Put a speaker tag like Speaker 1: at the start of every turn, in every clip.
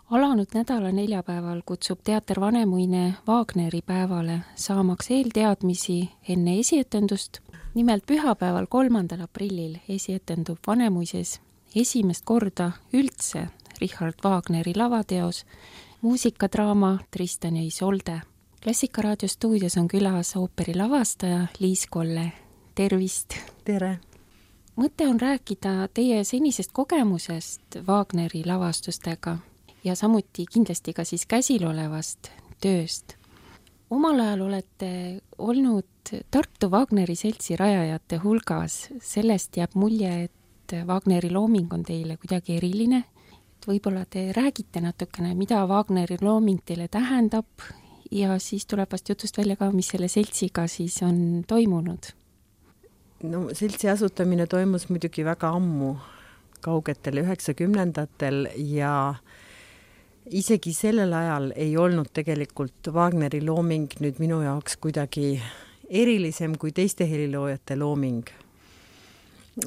Speaker 1: Alanud nädala neljapäeval kutsub teater Vanemuine Wagneri päevale, saamaks eelteadmisi enne esietendust. Nimelt pühapäeval 3. aprillil esietendub Vanemuises esimest korda üldse Richard Wagneri lavateos muusikadraama Tristan ja Isolde. Klassikaraadio stuudios on külas ooperi lavastaja Liis Kolle. Tervist!
Speaker 2: Tere!
Speaker 1: Mõte on rääkida teie senisest kogemusest Wagneri lavastustega ja samuti kindlasti ka siis käsilolevast tööst. Omal ajal olete olnud Tartu Wagneri seltsi rajajate hulgas. Sellest jääb mulje, et Wagneri looming on teile kuidagi eriline. Võib-olla te räägite natukene, mida Wagneri looming teile tähendab ja siis tuleb vast jutust välja ka, mis selle seltsiga siis on toimunud.
Speaker 2: No, seltsi asutamine toimus muidugi väga ammu, kaugetel 90-ndatel ja isegi sellel ajal ei olnud tegelikult Wagneri looming nüüd minu jaoks kuidagi erilisem kui teiste heliloojate looming.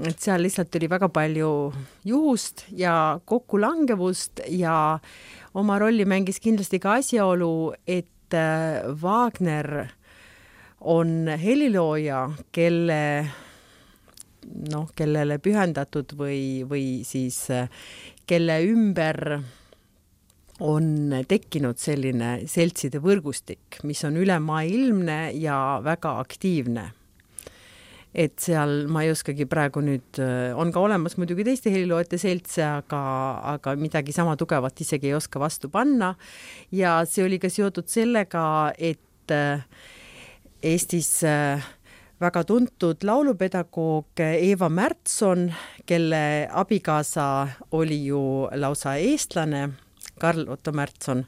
Speaker 2: Et seal lihtsalt oli väga palju juhust ja kokkulangevust ja oma rolli mängis kindlasti ka asjaolu, et Wagner on helilooja, kellele pühendatud või siis kelle ümber on tekkinud selline seltside võrgustik, mis on ülemaailmne ja väga aktiivne. Et seal ma ei oskagi praegu nüüd, on ka olemas muidugi teiste heliloojate seltse, aga midagi sama tugevat isegi ei oska vastu panna. Ja see oli ka seotud sellega, et Eestis väga tuntud laulupedagoog Eva Märtson, kelle abikaasa oli ju lausa eestlane, Karl Otto Märtson,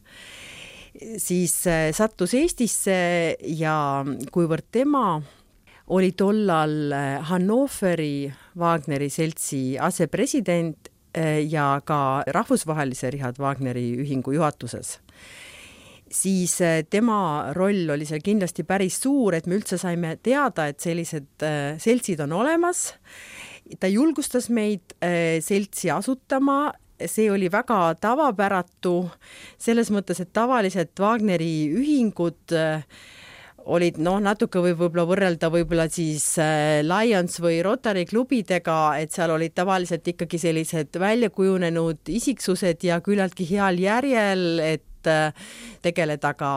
Speaker 2: siis sattus Eestisse ja kuivõrd tema oli tollal Hannoveri Wagneri seltsi asepresident ja ka rahvusvahelise Richard Wagneri ühingu juhatuses, siis tema roll oli seal kindlasti päris suur, et me üldse saime teada, et sellised seltsid on olemas. Ta julgustas meid seltsi asutama. See oli väga tavapäratu selles mõttes, et tavaliselt Wagneri ühingud olid natuke võib-olla võrrelda võib-olla siis Lions või Rotary klubidega, et seal olid tavaliselt ikkagi sellised väljakujunenud isiksused ja küllaltki heal järjel, et tegeleda ka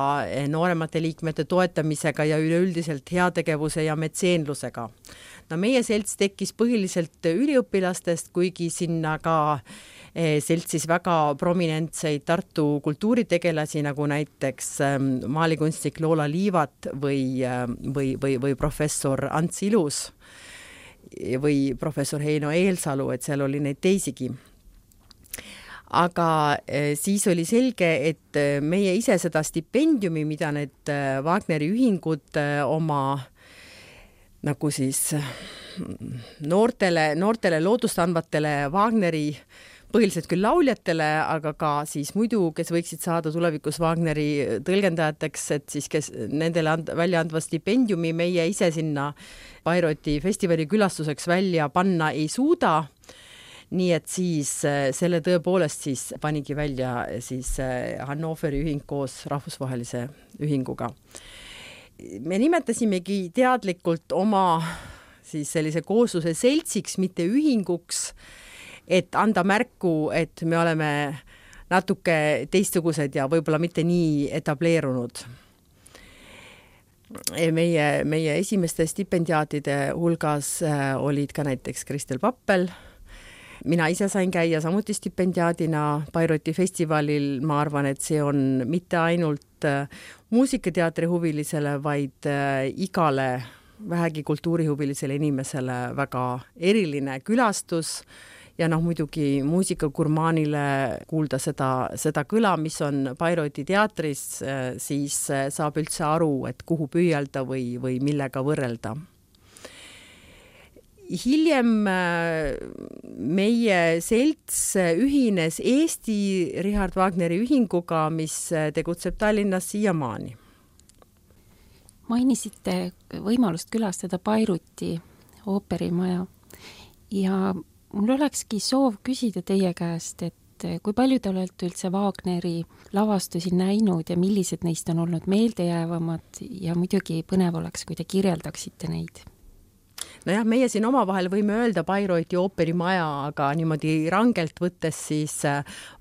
Speaker 2: nooremate liikmete toetamisega ja üleüldiselt heategevuse ja metseenlusega. No, meie selts tekkis põhiliselt üliõpilastest, kuigi sinna ka seltsis väga prominentseid Tartu kultuuritegelasi, nagu näiteks maalikunstnik Loola Liivat või professor Ants Ilus või professor Heino Eelsalu, et seal oli neid teisigi. Aga siis oli selge, et meie ise seda stipendiumi, mida need Wagneri ühingud oma nagu siis noortele loodust andvatele Wagneri põhiliselt küll lauljatele, aga ka siis muidu, kes võiksid saada tulevikus Wagneri tõlgendajateks, et siis kes nendele välja andva stipendiumi meie ise sinna Bayreuthi festivali külastuseks välja panna ei suuda. Nii et siis selle tõepoolest siis panigi välja siis Hannoveri ühing koos rahvusvahelise ühinguga. Me nimetasimegi teadlikult oma siis sellise koosluse seltsiks, mitte ühinguks, et anda märku, et me oleme natuke teistsugused ja võib-olla mitte nii etableerunud. Meie esimeste stipendiaatide hulgas olid ka näiteks Kristel Pappel. Mina ise sain käia samuti stipendiaadina Bayreuthi festivalil. Ma arvan, et see on mitte ainult muusikateatri huvilisele, vaid igale vähegi kultuurihuvilisele inimesele väga eriline külastus. Ja muidugi muusikagurmaanile kuulda seda kõla, mis on Bayreuthi teatris, siis saab üldse aru, et kuhu püüelda või millega võrrelda. Hiljem meie selts ühines Eesti Richard Wagneri ühinguga, mis tegutseb Tallinnas siiamaani.
Speaker 1: Mainisite võimalust külastada Bayreuthi ooperimaja ja mul olekski soov küsida teie käest, et kui palju te olete üldse Wagneri lavastusi näinud ja millised neist on olnud meeldejäävamad ja muidugi põnev oleks, kui te kirjeldaksite neid?
Speaker 2: Nojah, meie siin omavahel võime öelda Bayreuthi ooperimaja, aga niimoodi rangelt võttes siis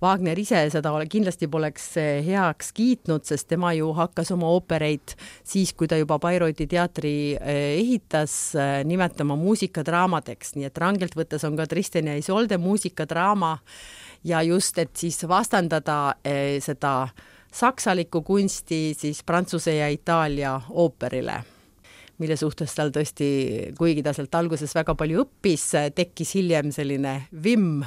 Speaker 2: Wagner ise seda kindlasti poleks heaks kiitnud, sest tema ju hakkas oma oopereid siis, kui ta juba Bayreuthi teatri ehitas, nimetama muusikadraamadeks, nii et rangelt võttes on ka Tristan ja Isolde muusikadraama ja just, et siis vastandada seda saksalikku kunsti siis Prantsuse ja Itaalia ooperile, mille suhtes tal tõesti, kuigi ta sealt alguses väga palju õppis, tekkis hiljem selline vimm.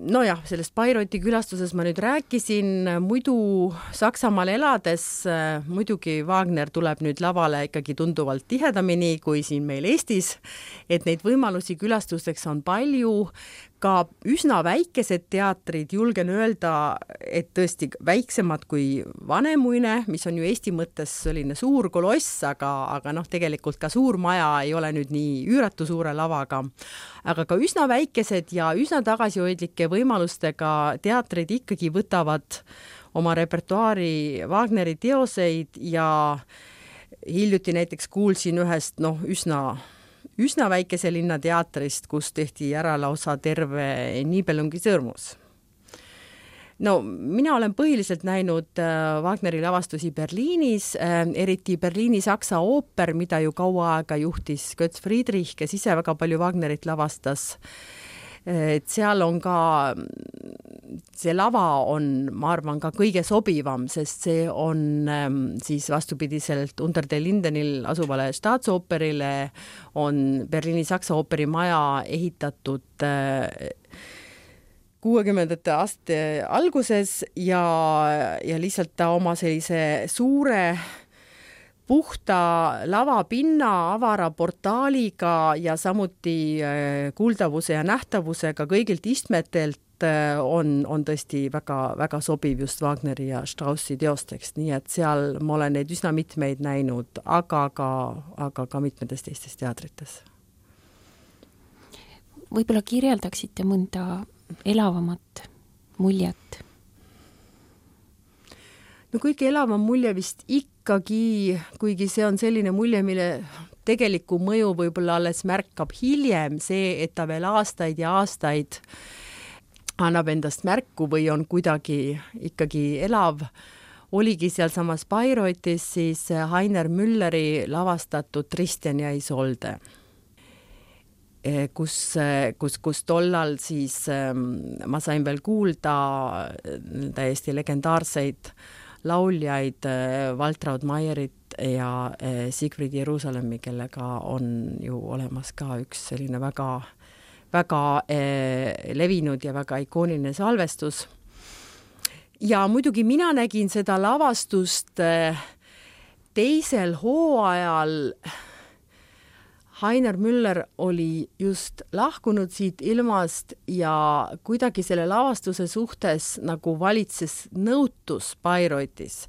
Speaker 2: Nojah, sellest Bayreuthi külastuses ma nüüd rääkisin, muidu Saksamaal elades muidugi Wagner tuleb nüüd lavale ikkagi tunduvalt tihedamini kui siin meil Eestis, et neid võimalusi külastusteks on palju, ka üsna väikesed teatrid, julgen öelda, et tõesti väiksemad kui Vanemuine, mis on ju Eesti mõttes selline suur koloss, aga noh, tegelikult ka suur maja ei ole nüüd nii üüratu suure lavaga, aga ka üsna väikesed ja üsna tagasihoidlike võimalustega teatrid ikkagi võtavad oma repertuaari Wagneri teoseid ja hiljuti näiteks kuulsin ühest üsna väikese linna teatrist, kus tehti ära lausa terve Nibelungi sõrmus. No, mina olen põhiliselt näinud Wagneri lavastusi Berliinis, eriti Berliini Saksa ooper, mida ju kaua aega juhtis Götz Friedrich, kes ise väga palju Wagnerit lavastas. Et seal on ka, see lava on, ma arvan, ka kõige sobivam, sest see on siis vastupidiselt Unter den Lindenil asuvale Staatsooperile on Berliini Saksa ooperimaja ehitatud 60. aastate alguses ja lihtsalt ta oma sellise suure puhta lavapinna, avara portaaliga ja samuti kuuldavuse ja nähtavusega kõigilt istmetelt on tõesti väga, väga sobiv just Wagneri ja Straussi teosteks, nii et seal ma olen neid üsna mitmeid näinud, aga ka mitmetes teistes teatrites.
Speaker 1: Võib-olla kirjeldaksite mõnda elavamat muljet?
Speaker 2: No kõige elavam mulje vist ikkagi, kuigi see on selline mulje, mille tegelikku mõju võib-olla alles märkab hiljem, see, et ta veel aastaid ja aastaid annab endast märku või on kuidagi ikkagi elav, oligi sealsamas Bayreuthis siis Heiner Mülleri lavastatud Tristan ja Isolde, kus tollal siis ma sain veel kuulda täiesti legendaarseid lauljaid Waltraud Maierit ja Siegfried Jeruusalemmi, kellega on ju olemas ka üks selline väga, väga levinud ja väga ikooniline salvestus. Ja muidugi mina nägin seda lavastust teisel hooajal. Heiner Müller oli just lahkunud siit ilmast ja kuidagi selle lavastuse suhtes nagu valitses nõutus Bayreuthis.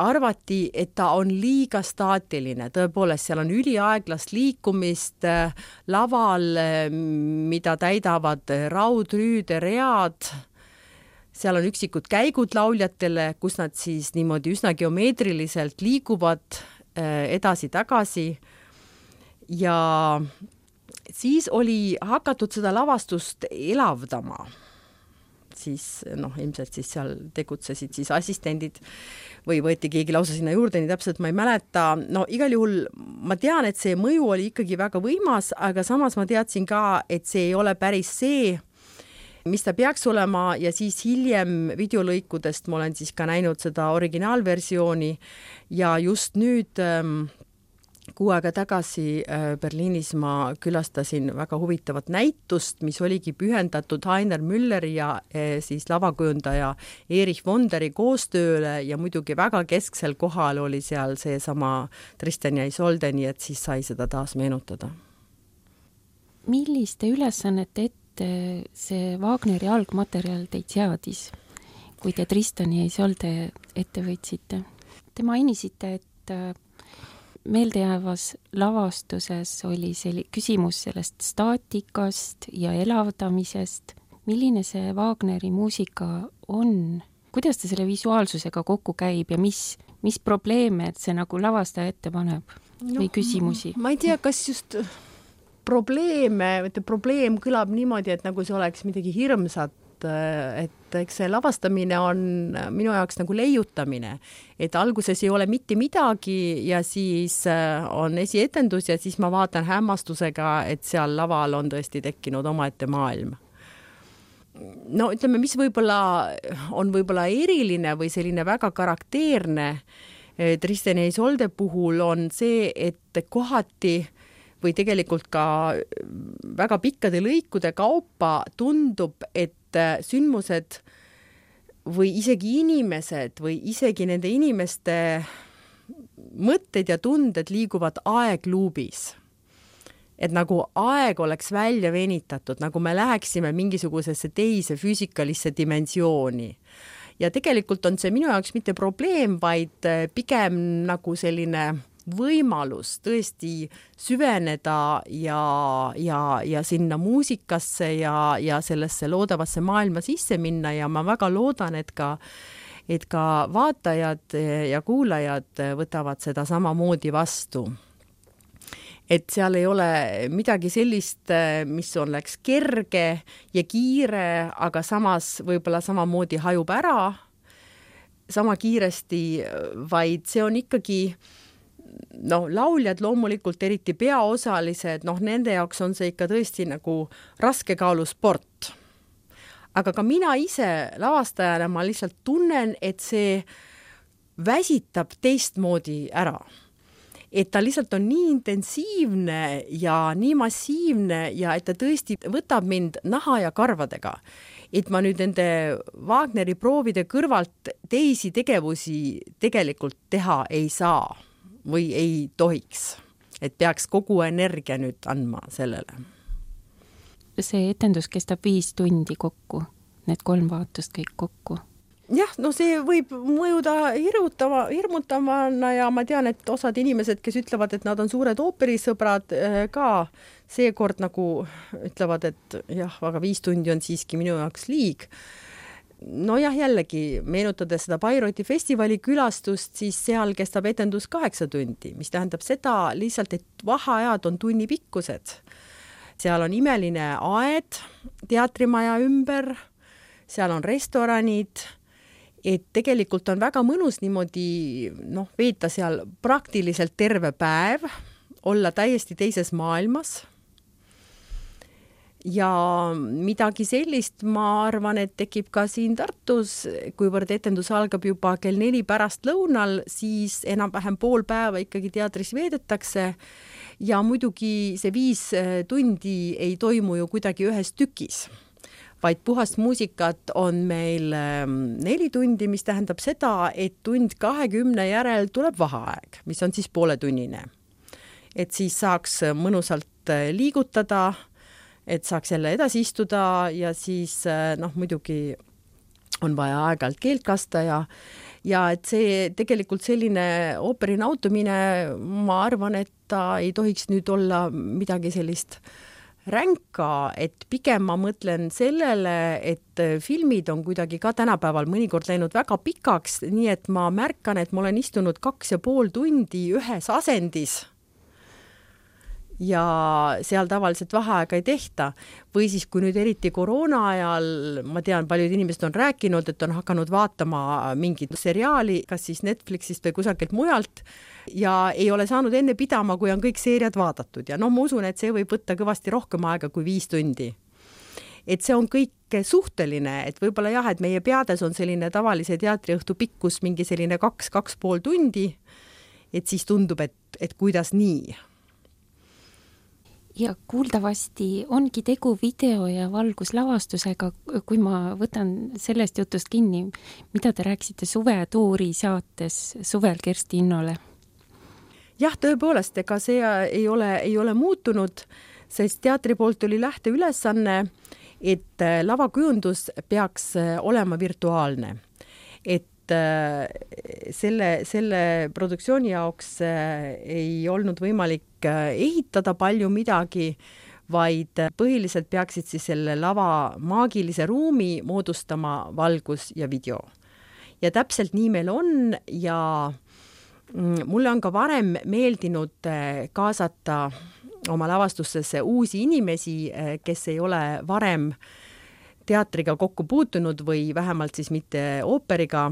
Speaker 2: Arvati, et ta on liiga staatiline, tõepoolest seal on üliaeglast liikumist laval, mida täidavad raudrüüde read, seal on üksikud käigud lauljatele, kus nad siis niimoodi üsna geomeetriliselt liiguvad edasi-tagasi. Ja siis oli hakatud seda lavastust elavdama. Siis, ilmselt siis seal tegutsesid siis assistendid või võeti keegi lausa sinna juurde, nii täpselt ma ei mäleta. No igal juhul ma tean, et see mõju oli ikkagi väga võimas, aga samas ma teadsin ka, et see ei ole päris see, mis ta peaks olema ja siis hiljem videolõikudest ma olen siis ka näinud seda originaalversiooni ja just nüüd 6 aega tagasi Berliinis ma külastasin väga huvitavat näitust, mis oligi pühendatud Heiner Mülleri ja siis lavakujundaja Erich Wonderi koostööle ja muidugi väga kesksel kohal oli seal seesama Tristan ja Isolde, nii et siis sai seda taas meenutada.
Speaker 1: Milliste ülesannete ette see Wagneri algmaterjal teid seadis, kui te Tristan ja Isolde ette võtsite? Te mainisite, et meeldejäävas lavastuses oli küsimus sellest staatikast ja elavdamisest. milline see Wagneri muusika on? Kuidas ta selle visuaalsusega kokku käib ja mis probleeme see nagu lavastaja ette paneb või küsimusi?
Speaker 3: Ma ei tea, kas just probleem kõlab niimoodi, et nagu see oleks midagi hirmsat, et eks see lavastamine on minu jaoks nagu leiutamine, et alguses ei ole mitte midagi ja siis on esietendus ja siis ma vaatan hämmastusega, et seal laval on tõesti tekkinud omaette maailm. No ütleme, mis on võib-olla eriline või selline väga karakteerne Tristan ja Isolde puhul on see, et kohati või tegelikult ka väga pikkade lõikude kaupa tundub, et sündmused või isegi inimesed või isegi nende inimeste mõtted ja tunded liiguvad aegluubis. Et nagu aeg oleks välja venitatud, nagu me läheksime mingisugusesse teise füüsikalisse dimensiooni. Ja tegelikult on see minu jaoks mitte probleem, vaid pigem nagu selline võimalus tõesti süveneda ja sinna muusikasse ja sellesse loodavasse maailma sisse minna ja ma väga loodan, et ka vaatajad ja kuulajad võtavad seda samamoodi vastu. Et seal ei ole midagi sellist, mis oleks kerge ja kiire, aga samas võib-olla samamoodi hajub ära sama kiiresti, vaid see on ikkagi lauljad loomulikult eriti peaosalised, nende jaoks on see ikka tõesti nagu raskekaalusport. Aga ka mina ise lavastajana ma lihtsalt tunnen, et see väsitab teistmoodi ära. Et ta lihtsalt on nii intensiivne ja nii massiivne ja et ta tõesti võtab mind naha ja karvadega. Et ma nüüd nende Wagneri proovide kõrvalt teisi tegevusi tegelikult teha ei saa või ei tohiks, et peaks kogu energia nüüd andma sellele.
Speaker 1: See etendus kestab 5 tundi kokku, need 3 vaatust kõik kokku.
Speaker 3: Jah, see võib mõjuda hirmutavana ja ma tean, et osad inimesed, kes ütlevad, et nad on suured ooperisõbrad ka seekord nagu ütlevad, et jah, aga 5 tundi on siiski minu jaoks liig. Nojah, jällegi, meenutades seda Bayreuthi festivali külastust, siis seal kestab etendus 8 tundi, mis tähendab seda lihtsalt, et vaheajad on tunnipikkused. Seal on imeline aed teatrimaja ümber, seal on restoranid, et tegelikult on väga mõnus niimoodi veeta seal praktiliselt terve päev, olla täiesti teises maailmas. Ja midagi sellist ma arvan, et tekib ka siin Tartus, kuivõrd etendus algab juba kell 4 pärastlõunal, siis enam-vähem pool päeva ikkagi teatris veedetakse ja muidugi see 5 tundi ei toimu ju kuidagi ühes tükis, vaid puhast muusikat on meil 4 tundi, mis tähendab seda, et 1:20 järel tuleb vaheaeg, mis on siis pooletunnine. Et siis saaks mõnusalt liigutada, et saaks jälle edasi istuda ja siis muidugi on vaja aeg-ajalt keelt kasta ja et see tegelikult selline ooperi nautumine, ma arvan, et ta ei tohiks nüüd olla midagi sellist ränka, et pigem ma mõtlen sellele, et filmid on kuidagi ka tänapäeval mõnikord läinud väga pikaks, nii et ma märkan, et ma olen istunud 2,5 tundi ühes asendis ja seal tavaliselt vaheaega ei tehta. Või siis, kui nüüd eriti koroona ajal, ma tean, paljud inimesed on rääkinud, et on hakanud vaatama mingit seriaali, kas siis Netflixist või kusagilt mujalt ja ei ole saanud enne pidama, kui on kõik seeriad vaadatud. Ja ma usun, et see võib võtta kõvasti rohkem aega kui 5 tundi. Et see on kõik suhteline, et võib-olla jah, et meie peades on selline tavalise teatriõhtu pikkus mingi selline 2,5 tundi, et siis tundub, et kuidas nii.
Speaker 1: Ja kuuldavasti ongi tegu video- ja valguslavastusega, kui ma võtan sellest jutust kinni, mida te rääkisite suvetuuri saates suvel Kersti Innole.
Speaker 3: Jah, tõepoolest, ega see ei ole muutunud, sest teatri poolt oli lähteülesanne, et lavakujundus peaks olema virtuaalne. Et selle produktsiooni jaoks ei olnud võimalik ehitada palju midagi, vaid põhiliselt peaksid siis selle lava maagilise ruumi moodustama valgus ja video. Ja täpselt nii meil on ja mulle on ka varem meeldinud kaasata oma lavastustesse uusi inimesi, kes ei ole varem teatriga kokku puutunud või vähemalt siis mitte ooperiga.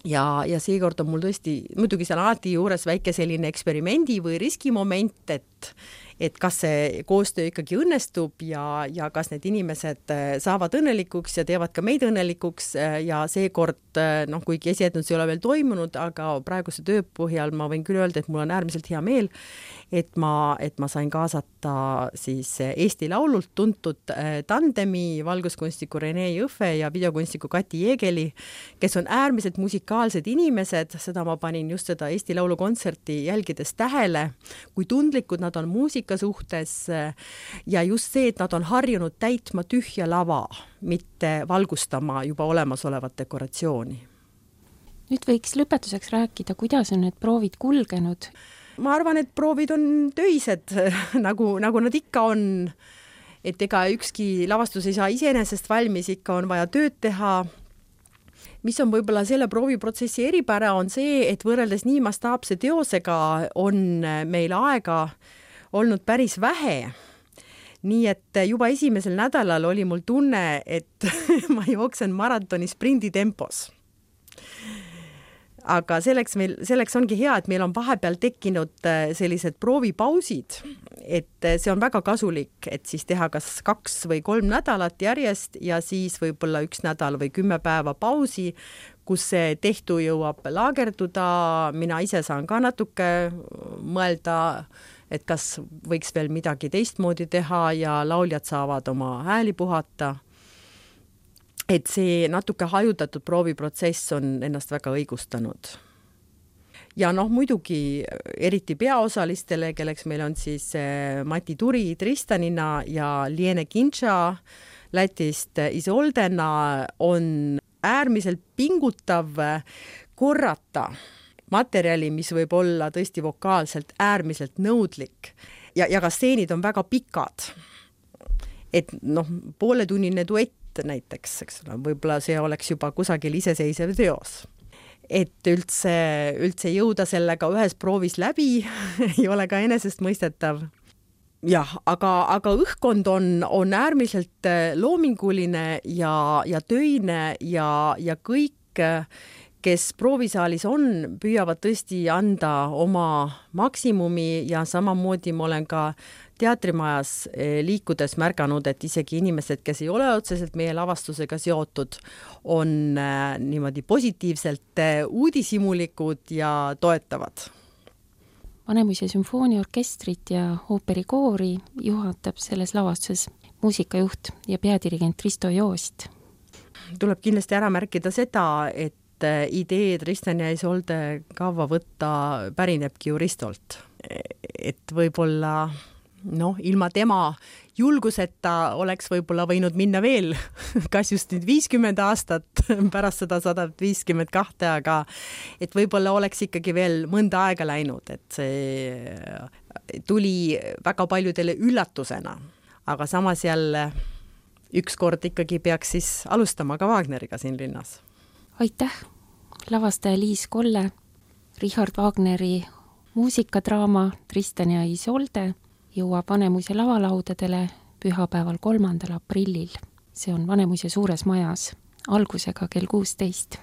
Speaker 3: Ja seekord on mul tõesti, muidugi seal alati juures väike selline eksperimendi või riskimoment, et kas see koostöö ikkagi õnnestub ja kas need inimesed saavad õnnelikuks ja teevad ka meid õnnelikuks ja seekord, kuigi esietendus ei ole veel toimunud, aga praeguse töö põhjal ma võin küll öelda, et mul on äärmiselt hea meel, et ma sain kaasata siis Eesti Laulult tuntud tandemi valguskunstniku Rene Jõhve ja videokunstniku Kati Jeegeli, kes on äärmiselt musikaalsed inimesed, seda ma panin just seda Eesti Laulu kontserti jälgides tähele, kui tundlikud nad on muusika suhtes ja just see, et nad on harjunud täitma tühja lava, mitte valgustama juba olemasolevat dekoratsiooni.
Speaker 1: Nüüd võiks lõpetuseks rääkida, kuidas on need proovid kulgenud.
Speaker 3: Ma arvan, et proovid on töised, nagu nad ikka on, et ega ükski lavastus ei saa iseenesest valmis, ikka on vaja tööd teha. Mis on võib-olla selle prooviprotsessi eripära on see, et võrreldes nii mastaapse teosega on meil aega olnud päris vähe. Nii et juba esimesel nädalal oli mul tunne, et ma jooksen maratoni sprinditempos. Aga selleks ongi hea, et meil on vahepeal tekkinud sellised proovipausid, et see on väga kasulik, et siis teha kas 2 või 3 nädalat järjest ja siis võib-olla 1 nädal või 10 päeva pausi, kus see tehtu jõuab laagerduda, mina ise saan ka natuke mõelda, et kas võiks veel midagi teistmoodi teha ja lauljad saavad oma hääli puhata. Et see natuke hajutatud prooviprotsess on ennast väga õigustanud. Ja muidugi eriti peaosalistele, kelleks meil on siis Mati Turi Tristanina ja Liene Kintša Lätist Isoldena, on äärmiselt pingutav korrata materjali, mis võib olla tõesti vokaalselt äärmiselt nõudlik ja ka stseenid on väga pikad. Et pooletunnine duett näiteks, eks ole, võib-olla see oleks juba kusagil iseseisev teos. Et üldse jõuda sellega ühes proovis läbi ei ole ka enesestmõistetav. Jah, aga õhkkond on äärmiselt loominguline ja töine ja kõik, kes proovisaalis on, püüavad tõesti anda oma maksimumi ja samamoodi ma olen ka teatrimajas liikudes märganud, et isegi inimesed, kes ei ole otseselt meie lavastusega seotud, on niimoodi positiivselt uudishimulikud ja toetavad.
Speaker 1: Vanemuise sümfooniaorkestrit ja ooperikoori juhatab selles lavastuses muusikajuht ja peadirigent Risto Joost.
Speaker 3: Tuleb kindlasti ära märkida seda, et idee Tristan ja Isolde kava võtta pärinebki ju Ristolt. Et võib-olla ilma tema julguseta oleks võib-olla võinud minna veel, kas just nüüd 50 aastat pärast seda 152, aga et võib-olla oleks ikkagi veel mõnda aega läinud, et see tuli väga paljudele üllatusena, aga samas jälle ükskord ikkagi peaks siis alustama ka Wagneriga siin linnas.
Speaker 1: Aitäh, lavastaja Liis Kolle, Richard Wagneri muusikadraama Tristan ja Isolde jõuab Vanemuise lavalaudadele pühapäeval 3. aprillil. See on Vanemuise suures majas, algusega kell 16.